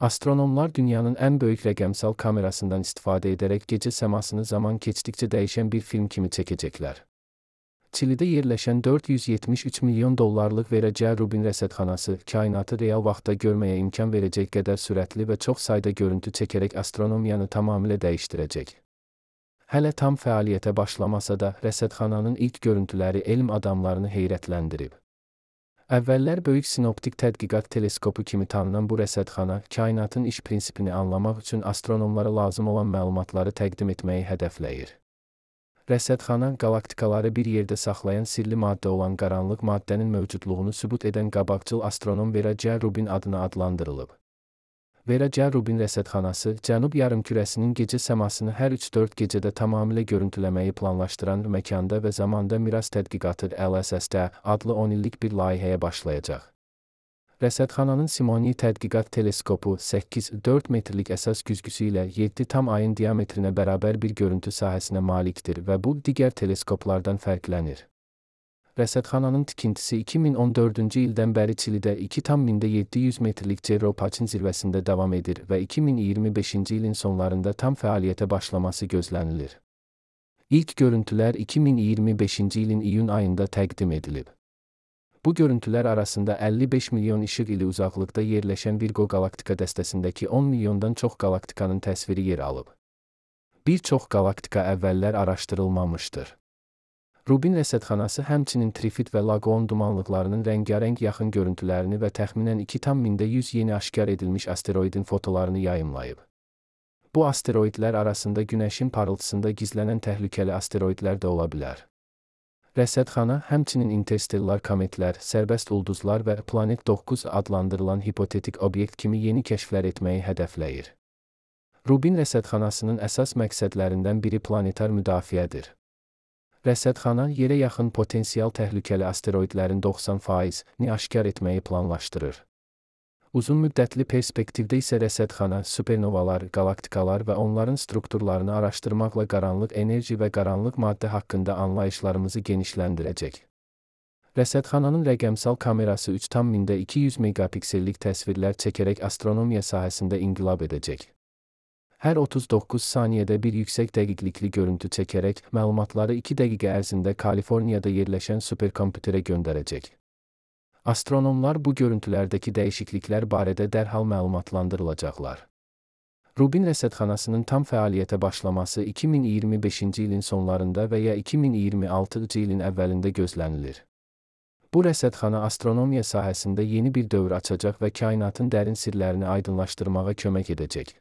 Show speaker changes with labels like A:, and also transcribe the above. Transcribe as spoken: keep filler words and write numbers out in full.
A: Astronomlar dünyanın ən böyük rəqəmsal kamerasından istifadə edərək gecə səmasını zaman keçdikcə dəyişən bir film kimi çəkəcəklər. Çilidə yerləşən dörd yüz yetmiş üç milyon dollarlıq verəcəyi Rubin rəsədxanası, kainatı real vaxtda görməyə imkan verəcək qədər sürətli və çox sayda görüntü çəkərək astronomiyanı tamamilə dəyişdirəcək. Hələ tam fəaliyyətə başlamasa da, rəsədxananın ilk görüntüləri elm adamlarını heyrətləndirib. Əvvəllər böyük sinoptik tədqiqat teleskopu kimi tanınan bu rəsədxana, kainatın iş prinsipini anlamaq üçün astronomlara lazım olan məlumatları təqdim etməyi hədəfləyir. Rəsədxana, qalaktikaları bir yerdə saxlayan sirli maddə olan qaranlıq maddənin mövcudluğunu sübut edən qabaqcıl astronom Vera C. Rubin adına adlandırılıb. Vera C. Rubin rəsədxanası, Cənub yarımkürəsinin gecə səmasını hər üç dörd gecədə tamamilə görüntüləməyi planlaşdıran məkanda və zamanda miras tədqiqatı L S S D adlı on illik bir layihəyə başlayacaq. Rəsədxananın Simoni tədqiqat teleskopu səkkiz dörd metrlik əsas güzgüsü ilə yeddi tam ayın diametrinə bərabər bir görüntü sahəsinə malikdir və bu, digər teleskoplardan fərqlənir. Rəsədxananın tikintisi iki min on dördüncü ildən bəri Çilidə iki tam yeddi yüz metrlik Cerro Paçin zirvəsində davam edir və iki min iyirmi beşinci ilin sonlarında tam fəaliyyətə başlaması gözlənilir. İlk görüntülər iki min iyirmi beşinci ilin iyun ayında təqdim edilib. Bu görüntülər arasında əlli beş milyon işıq ili uzaqlıqda yerləşən Virgo qalaktika dəstəsindəki on milyondan çox qalaktikanın təsviri yer alıb. Bir çox qalaktika əvvəllər araşdırılmamışdır. Rubin rəsədxanası həmçinin Trifid və Lagoon dumanlıqlarının rəngarəng yaxın görüntülərini və təxminən iki tam yüz yeni aşkar edilmiş asteroidin fotolarını yayımlayıb. Bu asteroidlər arasında Günəşin parıltısında gizlənən təhlükəli asteroidlər də ola bilər. Rəsədxana həmçinin interstellar kometlər, sərbəst ulduzlar və Planet doqquz adlandırılan hipotetik obyekt kimi yeni kəşflər etməyi hədəfləyir. Rubin rəsədxanasının əsas məqsədlərindən biri planetar müdafiədir. Rəsədxana, yerə yaxın potensial təhlükəli asteroidlərin doxsan faizini aşkar etməyi planlaşdırır. Uzun müddətli perspektivdə isə rəsədxana, supernovalar, qalaktikalar və onların strukturlarını araşdırmaqla qaranlıq enerji və qaranlıq maddə haqqında anlayışlarımızı genişləndirəcək. Rəsədxananın rəqəmsal kamerası üç tam iki yüz megapiksellik təsvirlər çəkərək astronomiya sahəsində inqilab edəcək. Hər otuz doqquz saniyədə bir yüksək dəqiqlikli görüntü çəkərək, məlumatları iki dəqiqə ərzində Kaliforniyada yerləşən superkompüterə göndərəcək. Astronomlar bu görüntülərdəki dəyişikliklər barədə dərhal məlumatlandırılacaqlar. Rubin rəsədxanasının tam fəaliyyətə başlaması iki min iyirmi beşinci ilin sonlarında və ya iki min iyirmi altıncı ilin əvvəlində gözlənilir. Bu rəsədxana astronomiya sahəsində yeni bir dövr açacaq və kainatın dərin sirlərini aydınlaşdırmağa kömək edəcək.